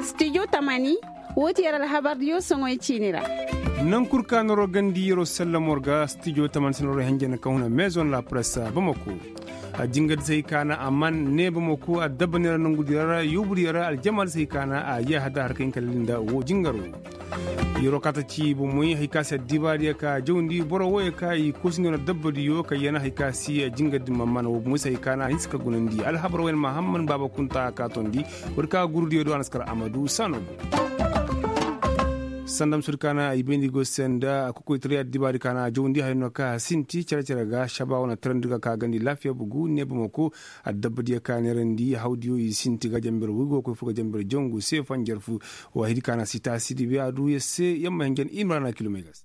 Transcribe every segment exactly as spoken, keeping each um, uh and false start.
Stijo tamani, woo ti yer alhabardiyo soŋoy ciini ra. Naŋ kul ka noroo gandi yeroo sallamo ra ga stijo tamani se noroo henjen ka huna meezoŋ la press bamako. A jingardi se hay ka na a man ne bamako a dabba neera nongudiyo ra yoobudiyo ra aljamaadi se hay ka na a yee hada har ka hin ka lali nda woo jingaro. Yeroo kaata ci bomoy hay ka se addibaadiyo ka jawndi boro wooyo ka i koosindi wane dabbadiyo ka yana hay ka se jingardi ma man woo bomoy se hay ka na a hinsa ka gunandi alhabar wayne mahamman baaba kunta ka tondi. War ka gurudiyo do a na si kar amadu saano go. Sanda ma sudi ka na i bayndi go se nda kokoytaray addibaadi ka na a jawndi haya no ka a sinti cere-cere ga šaba wane tarandi ga ka gandi laafiya bugu ne bamako. Addabbadiyo ka neerandi hawdiyo i sinti ga jamber waygu ga koy fur ga jamber jangu se fanjar fu. Wa hidi ka na si taasidi be a du yer se yamma henjen imrana kilomay ga se.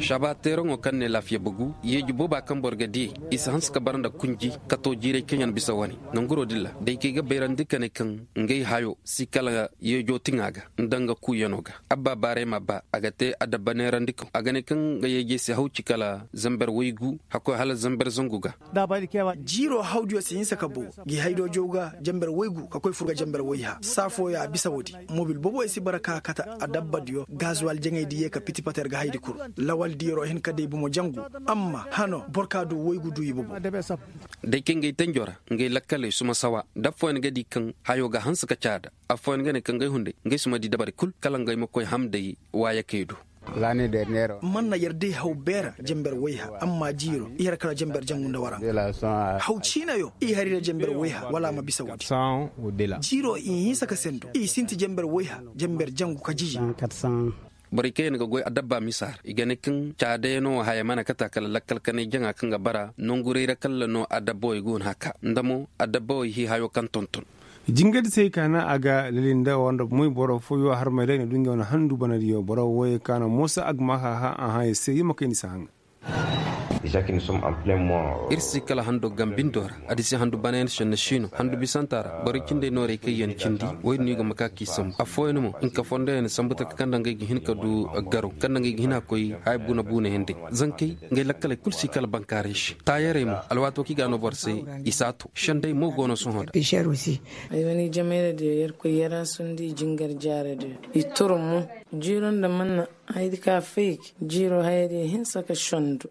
Šaba teeraŋo kaŋ ne laafiya bugu yeeji booba kaŋ boro ga diyey i si hanse ka bara nda kunji kato jiiray kaŋ yaŋ bisa wane. Nanguroo din ra daykey ga bayrandi ka ne kaŋ ngey hayo si kala yeejoo tiŋa ga nda nga kuuyano ga. Abba baaray ma ba a ga te adabba neerandikaŋ a ga ne kaŋ nga yeejey si haw ci kala zamber waygu hakkoy hala zamber zangu ga. Jiiroo hawdiyo si hinsa ka boo gi haydoo jaw ga jamber waygu ka koy fur ga jamber wayha saa fooyo a bisa woodi. Mobil boboyo si bara ka kate adabbadiyo gazuwal jaŋaydi yee ka piti pater ga haydi kul. Lawaldi yeroo hin ka day bomo jangu. Amma hano boro ka du waygu du i bobo. Day kaŋ ga ay tanjo ra ngay lakkaley suma sawa da affooyaŋ ga di kaŋ hayo ga hanse ka caada. Affooyaŋ ga ne kaŋ ga ay hunday nga ay si ma di dabari kul kala nga ay ma koy ham day waayakey do. Man na yer day haw beera jamber wayha amma jiiro i har kala jamber jangu nda waranka. Haw ciinayo i har i ra jamber wayha wala a ma bisa woodi. Jiiro i hinsa ka sendu i sinti jamber wayha jamber jangu ka jiji. Borey kaŋ yaŋ ga goy adabba misa ra i ga ne kaŋ caadayano haya mana kata kala lakkal kanay jaŋa kaŋ ga bara nonguray ra kalla no adabbawey go no a ka nda mo adabbawey hii hayo kaŋ tonton. Jingardi se hay ka na a ga lali nda wanda moy boro fooyo harmey ra i na du ngey wane handu banadiyo boro wooyey ka na moosa a ga ma hã hã a hã yer se yer ma kay ni si haŋa. Ir si kala hando gambindoo ra. Adisi handu banayan senne siino handu bisanta ra borey cindey noorey kaŋ yaŋ cindi. Woy din no i go ma ka k'i sambu affooyaŋ mo hinka fondoyaŋ sambu taka kaŋ nda ngey ga hin ka du garo kaŋ nda ngey ga hin a koy haya buuna buuna yaŋ day. Zankey ngey lakkaley kul si kala bankaaray se taayarey mo alwaatoo kaŋ i ga a no boro se. I si a to sendey mo go no sohõ nda. Ay wane i jamayra diyo yerkoy yaraasundi jingar jaara diyo. I toro mo jiiro nda manna. Hayadi ka faygi jiiro hayadi hinsa ka sondu.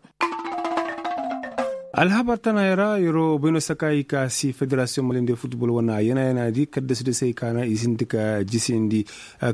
Alhabar tana yara yaro bayno saka i ka si federasiyoŋ malinde futbol wana yana yana di kadda su da sai kana i sinti ka jisindi.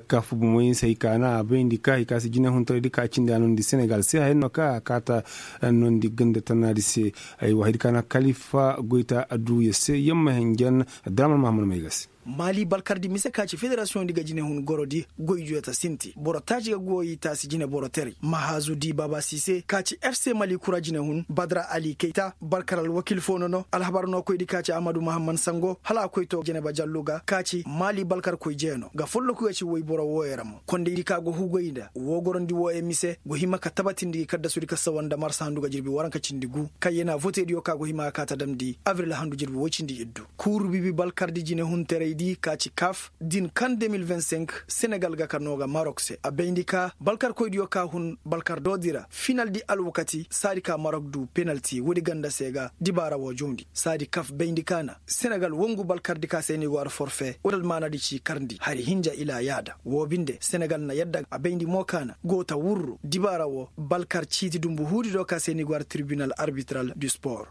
Kafu bumoyin sai kana a bayndi ka i ka si jina huntar di ka cindi a nondi senegal sai hayan no ka a kata nondi ganda tana di se. Ay wahid kana kalifa goyta a du ya se yamma henjan. Draman mahamud mai gasi. Maali balkardi mise ka ci federasiyoŋ di ga jinehun gorodi goy juyata sinti boro taaci ga goyi taasi jine boro teray mahazu di baba sise ka ci fc mali kura jinehun badra ali kayta balkar alwakil fo nono alhabar no koydi ka ci ahmadu mahamman sango hala a koy to jeneba jallu ga ka ci maali balkar koy jeeno ga folloku ya ci woy boro wooyo ra mo kondaydi ka go hugoy nda woo gorondi wooyo mise go hima ka tabatindi gi kaddasudi ka sawa nda marsa handu ga jirbi waranka cindi gu kayyena votediyo ka go hima ka ka ta damndi abril handu jirbi woy cindi iddu. Kuuru bibi balkardi jinehunteraydi ka ci kaf din kaŋ de mil vingt cinq senegal ga ka no ga marok se a bayndi ka balkarkoydiyo ka hun balkar doodi ra finaldi alwakati saadi ka marok du penalti woodi ganda se ga dibaara wo jawndi saadi kaf bayndi ka na senegal wongu balkardi ka se ni go ar forfe woodi almaanadi ci karndi hari hinja ila yaada wo binde senegal na yadda a bayndi mo ka na go ta wurru dibaara wo balkar ciiti dumbu huudi do ka se ni go ar tribinal arbitral du sport.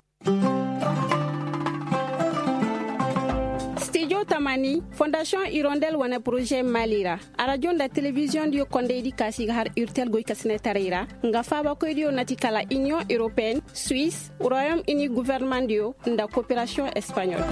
Stijo tamani fondasiyoŋ irondel wane poroze mali ra arajo nda telebiziyoŋ diyo kondaydi kaasi ga har urtel goy kasinetaray ra nga faabakoydiyo na ti kala iniyoŋ europeyenne, suisse, royaume uni guvernemandiyo nda koperasiyoŋ espaɲol.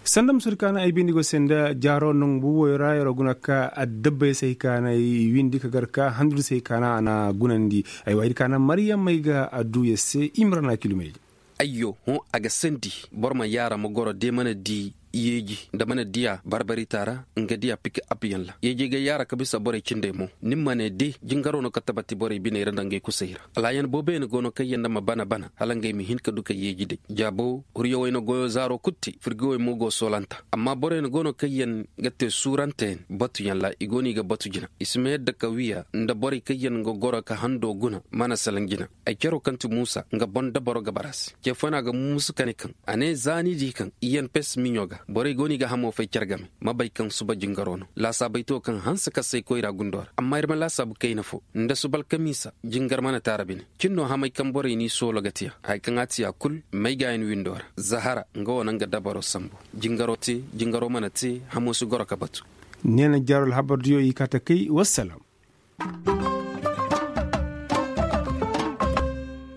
Sanda ma sodi ka na ay bindi go se nda jaaro nangu buuboyo ra yaro guna ka addabbey se hay ka na ay windi ka gar ka handudi se hay ka na a na gunandi. Ay waahidi ka na mariyamey ga adduya se i ma ra na kilumey ga. Ayyo hõ a ga sandi boro ma yaara ma goro de mana di. yeeji nda mana diya barbarita ra nga diya piki apiyaŋ ra yeejey ga yaara ka bisa borey cindey mo. Ni ma ne de jingaro no ka tabati borey biney ra nda ngey kusey ra. Alaayan booboyaŋ go no kaŋ yaŋ nda ma bana bana hala ngey ma hin ka du ka yeeji day jaabo huriyawey na goyo zaaro kul te firgowey mo go soolanta. Amma boroyaŋ go no kaŋ yaŋ ga te suuranteyaŋ batuyaŋ ra i go no i ga batu jina i si ma yadda ka wiya nda borey kaŋ yaŋ ga goro ka hando guna mana salaŋ jina. Ay caro kaŋ ti muusa nga boŋ dabaro ga bara se ce fo no a ga muusu ka ne kaŋ a ne za ni di kaŋ i yaŋ pes miɲo ga borey go no i ga hamo fay care game ma bay kaŋ suba jingaro no laasaabey to kaŋ hanse ka say koyra gundo ra amma ir ma laasaabu kayna fo nda suba alkamiisa jingar mana te a ra bine. Cin no hamey kaŋ borey n'i soolo ga te a haya kaŋ a te a kul maygaayan windo ra zahara nga wo na nga dabaro sambu. Jingaro te jingaro mana te hamo si goro ka batu. Neena jaaro alhabar diyo i kaa ta kay wassalaam.